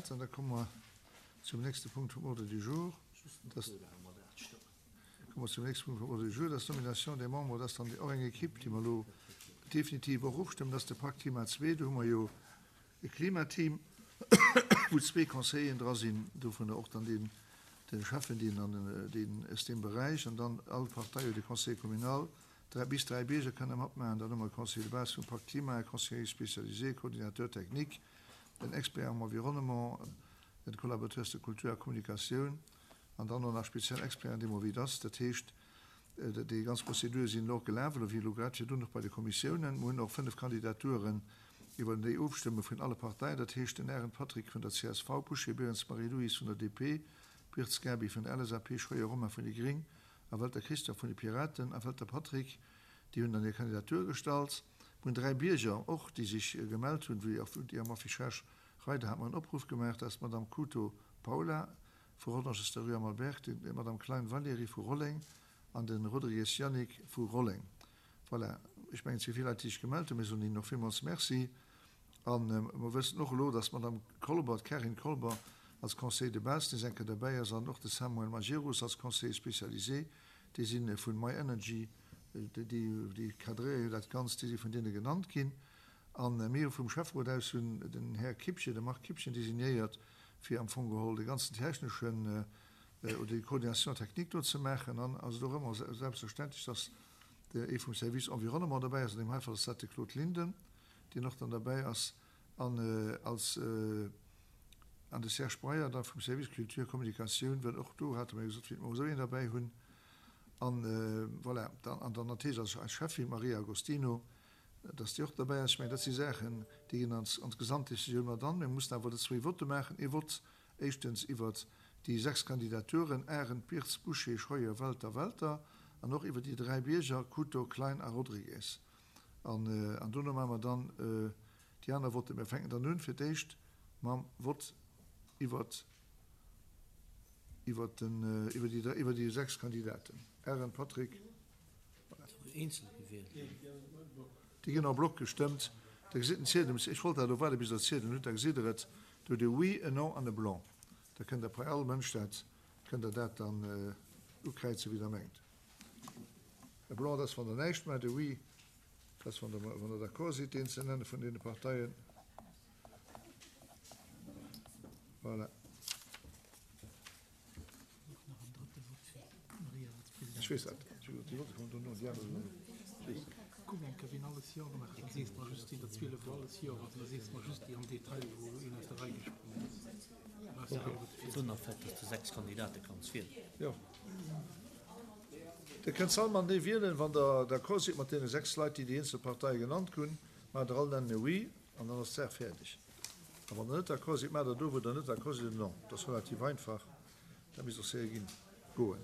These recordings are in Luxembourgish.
dat. An da komme mer zum nächste Punkt vum Ordre du jour. Dat komme mer zum nächste Punkt vum Ordre du jour, dat ass d'Nomination des membres. Dat ass dann och eng Equipe, déi mer elo definitiv och ofstëmmen. Dat ass de Pacte Klima 2. Do hu mer jo e Klimateam, wou zwee Conseilleren dra sinn, dovunner och dann deen, de Schäffen, deen an deen aus deem Beräich, an dann all Partei huet e Conseiller communal, dräi, bis dräi Bierger kënne matmaachen. Dann hu mer e Conseiller de base vum Pacte Climat, e Conseiller spécialisé, Coordinateur technique, en Expert en environnement, en Collaborateur de culture a Kommunikatioun an dann och nach speziell Experten, deemno wéi et ass. Dat heescht, Déi ganz Prozedure sinn elo och gelaf, elo wéi elo grad virdrun och bei de Kommissiounen. Mer hunn och 5 Kandidaturen iwwer déi ofstëmme vun alle Parteien, dat heescht den Arendt Patrick vun der csv, Bouché Berens Marie-Louise vun der DP, Birtz Gaby vun der LSAP, Scheuer Romain vun déi Gring a Welter Christian vun de Piraten a Welter Patrick. Déi hunn dann hir Kandidatur gestallt. Mer hunn 3 Bierger och, déi sech gemellt hunn, wéi och déi am Affichage Reider hat mer en Opruff gemaach, dat ass d'Madame Couto Paula, vu Rodange der Rue Amalberg, d'Madame Klein Valérie vu Rolleng an de Rodrigues Yannick vu Rolleng. Voilà, ech mengen, et si vill Leit, déi sech gemellt hunn. Mir soen hinnen och villmools Merci. A mer wëssen och elo, dass d'Madame Kolber, d'Carine Kolber, als Conseiller de base nees eng Kéier derbäi ass an och de Samuel Majerus als Conseiller spécialisé. Déi si vun MyEnergy, déi cadréiere jo dat Ganzt, déi si vun deene genannt ginn. A mir hu vum Schäfferot aus hunn den Här Kippchen, de Marc Kippchen designéiert, fir am Fong geholl de ganzen techneschen oder déi Coordination technique do ze maachen. An ass et och ëmmer selbstverständlech, dass ee vum Service Environnement derbäi ass. An deem hei Fall ass dat de Claude Linden, deen och dann derbäi ass. An als an de Serge Breyer da vum Service Culture Communication, well och do hate mer jo gesot, wéilt mer och esou een derbäi hunn. An voilà, dann an dann natierlech als eis Cheffin, d'Maria Agostino, dass déi och derbäi ass. Ech mengen, dat si Saachen, déi ginn an d'Gesamtdecisioun mat an. Mir mussen awer elo zwéi Votte maachen. Ee Vott éischtens iwwert déi sechs Kandidaturen, Arendt, Birz, Bouché, Scheuer, Welter, Welter, an och iwwer déi dräi Bierger, Couto, Klein a Rodrigues. An dono maache mer dann déi aner Votten. Mir fänken dann un fir d'éischt mam Vott iwwert déi sechs Kandidaten. Arendt Patrick. Eenzel gewielt ginn. Déi ginn en bloc gestëmmt. Da gesitt den Ziedel, ech wollt dat elo waarde bis Der d'Ziedelen hutt, da gesitt Der et, do hutt Dir oui, en non an e blanc. Da kënnt Der bei all Mënsch dat, kënnt Der dat dann ukräizen, wéi Der mengt. E blanc, dat ass wann Der näischt maacht, e oui, dat ass wann Der, wann Der d'accord sidd, deen ze nenne vun deene Parteien. Voilà. Ech weess dat. Déi Votte kommen dono, déi aner sinn ech weess. Kuck eng Kéier, wien alles Jo gemaach huet, dann sees de mer just, wien der 12 wou alles Jo huet, an da sees de mer just déi am Detail, wou een aus der Rei gesprongen ass. Dann ass der dass de 6 Kandidate kanns wielen. Jo. Dir kënnt se all matenee wielen, wann der d'accord sidd mat deene 6 Leit, déi déi eenzel Parteie genannt hunn. Maacht der all nennen e Oui an dann ass d'Saach fäerdeg. A wann der net d'accord sidd, maacht der do, wou der net d'accord sidd, en Non. Dat ass relativ einfach. Dat misst och séier ginn, goen.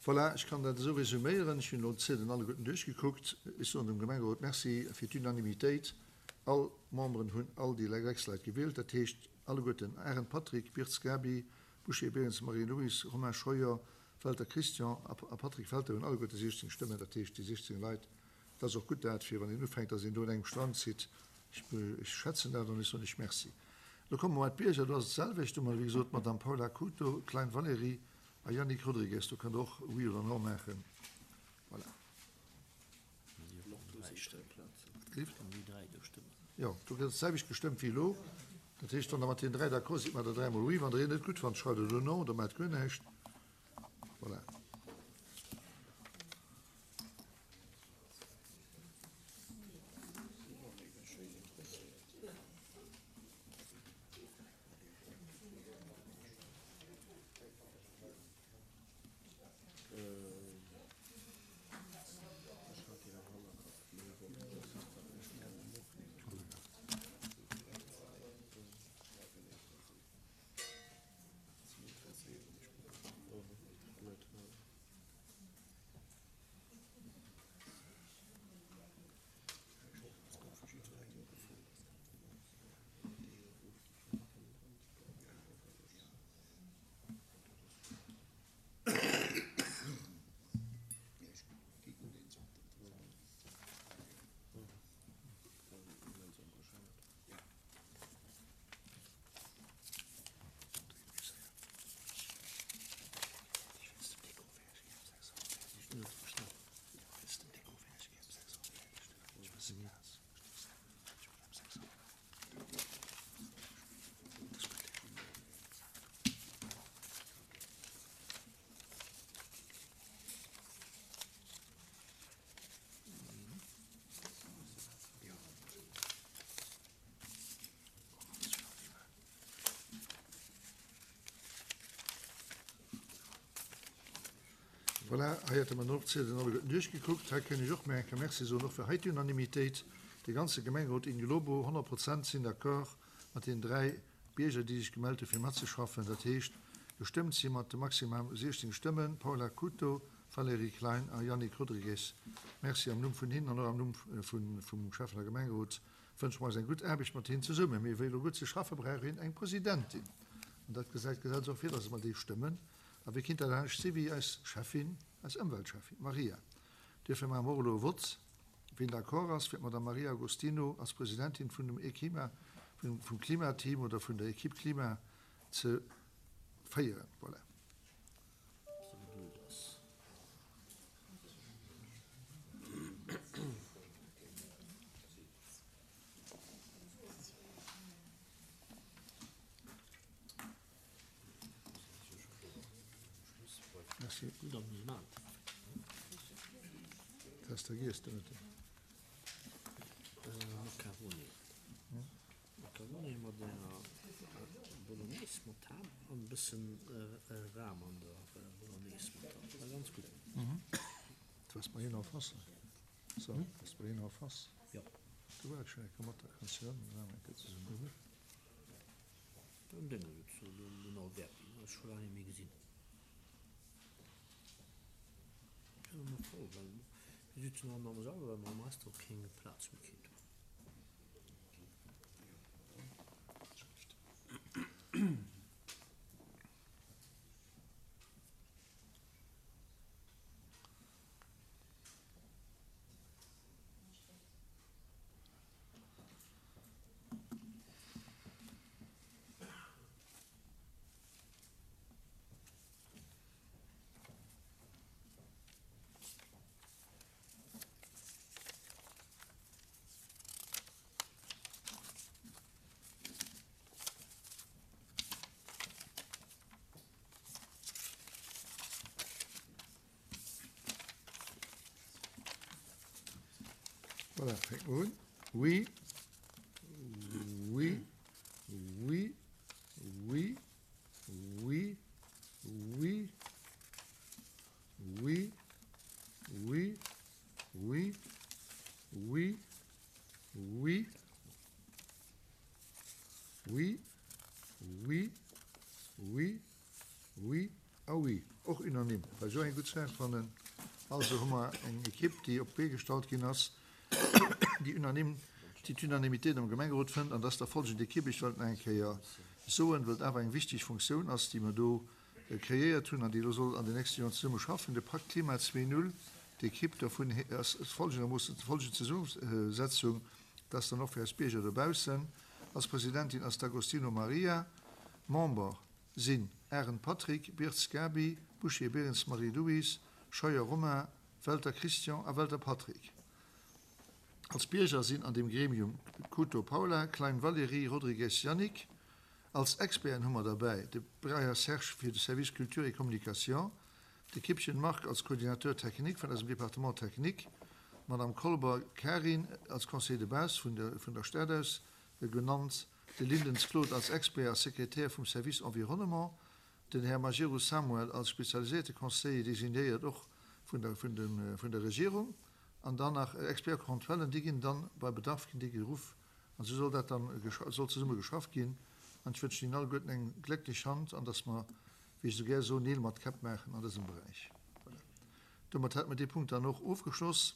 Voilà, ech kann dat esou resuméieren. Ech hunn elo d'Ziedelen alleguerten duerchgekuckt. Ech soen dem Gemengerot Merci fir d'Unanimitéit. All d'Memberen hunn all déi 6 Leit gewielt, dat heescht alleguerten Arendt Patrick, Birtz Gaby, Bouché Berens Marie-Louise, Romain Scheuer, Welter Christian a Patrick Welter hunn alleguerte 16 Stëmmen, dat heescht déi 16 Leit. Dat ass och gutt dat, fir wann een ufänkt, datt een do un engem Strang zitt. Ech schätzen dat an ech soen lech Merci. Elo komme mer bei d'Bierger, do ass et d'selwecht. Do hu mer, wéi gesot, d'Madame Paula Couto, Klein Valérie a Yannick Rodrigues. Do kënnt Der och Oui oder Non maachen. Voilà. Jo, do gëtt d'selwecht gestëmmt wéi elo. Dat heescht, wann Der mat deenen dräi d'accord sidd, maacht Der dräimol Oui. Wann Der een net gutt fannt, schreift Der do Non oder maacht guer näischt. Voilà. Voilà, hei hätte mer dann och d'Ziedelen alleguerten duerchgekuckt. Hei kënn ech och méi eng Kéier Merci soen, och fir hei d'Unanimitéit. De ganze Gemengerot in globo, 100 Prozent sinn d'accord mat deenen 3 Bierger, déi sech gemellt hu fir matzeschaffen. Dat heescht, gestëmmt si mat de maximal 16 Stëmmen, Paula Couto, Valérie Klein a Yannick Rodrigues. Merci am Numm vun hinnen an och am Numm vum Schäffen a Gemengerot wënsche mer eis eng gutt Aarbecht mat hinnen zesummen. Mee wéi elo gutt ze schaffe brauch een eng Presidentin. An dat gesäit d'Gesetz och vir, dass mer déi stëmmen. A wie kinnt dat anescht si wéi eis Schäffin, eis Ëmweltschäffin Maria. Duerfir maache mer och elo e Vott, wien d'accord ass, fir d'Madame Maria Agostino als Presidentin vun dem Eklima, vum Klimateam oder vun der Equipe Klima ze féieren. Voilà. Merci. Das da gehst du mit. Macaroni. Macaroni mat enger Bolognese mat Ham an e bëssen Ram an der Bolognese mat dran. War ganz gutt. Du warst bei hien en face. So, warst bei hien en face. Jo. Du war ech schon eng Kéier mat der kanns du dann eng Kéier zesummen. Den Dénge sëtzt do, den Alberti, den hu ech scho laang net méi gesinn. Ass ëmmer voll, well mir sitzen all am Sall, well mer am Restaurant keng Plaz méi kritt hunn. Voilà, fänke mer un. Oui, oui, oui, oui, oui, oui, oui, oui, oui, oui, oui, oui, oui, oui, oui a oui. Och unanime, wat ech och eng gutt Saach fannen. Also hu mer eng Ekipp, déi op d'Bee gestallt ginn ass, déi unanime, déi d'Unanimitéit am Gemengerot fënnt. An dat ass da folgend Ekipp, ech wëll et nach eng Kéier soen, well et awer eng wichteg Funktioun ass, déi mer do kreéiert hunn an déi elo soll an den nächste Joren zesumme schaffen, de Pakt Klima 2.0. D'Ekipp dovun ass folgendermoossen, folgend Zesummesetzung, dat ass dann och fir eis Bierger dobaussen, Als Presidentin ass d'Agostino Maria, Member sinn Arendt Patrick, Birtz Gaby, Bouchier-Berens Marie-Louise, Scheuer Romain, Welter Christian a Welter Patrick. Als Bierger sinn an deem Gremium Couto Paula, Klein Valérie, Rodrigues Yannick. Als Experten hu mer derbäi de Breyer Serge fir de Service Culture et Communication, de Kippchen Marc als Coordinateur technique vun eisem Département technique, d'Madame Kolber Karin als Conseiller de base vun der Stad aus genannt, de Lindens Claude als Expert a Sekretär vum Service Environnement, den Här Majerus Samuel als spezialiséierte Conseiller designéiert och vun der Regierung, an dann nach Expert-comptuellen, déi ginn dann bei Bedarf ginn déi geruff an esou soll dat dann soll zesumme geschafft ginn. An ech wënschen Ihnen alleguerten eng glécklech Hand an dass mer, wéi ech esou gär soen, Neel mat Käpp maachen an dësem Beräich. Voilà. Domat hätte mer dee Punkt dann och ofgeschloss.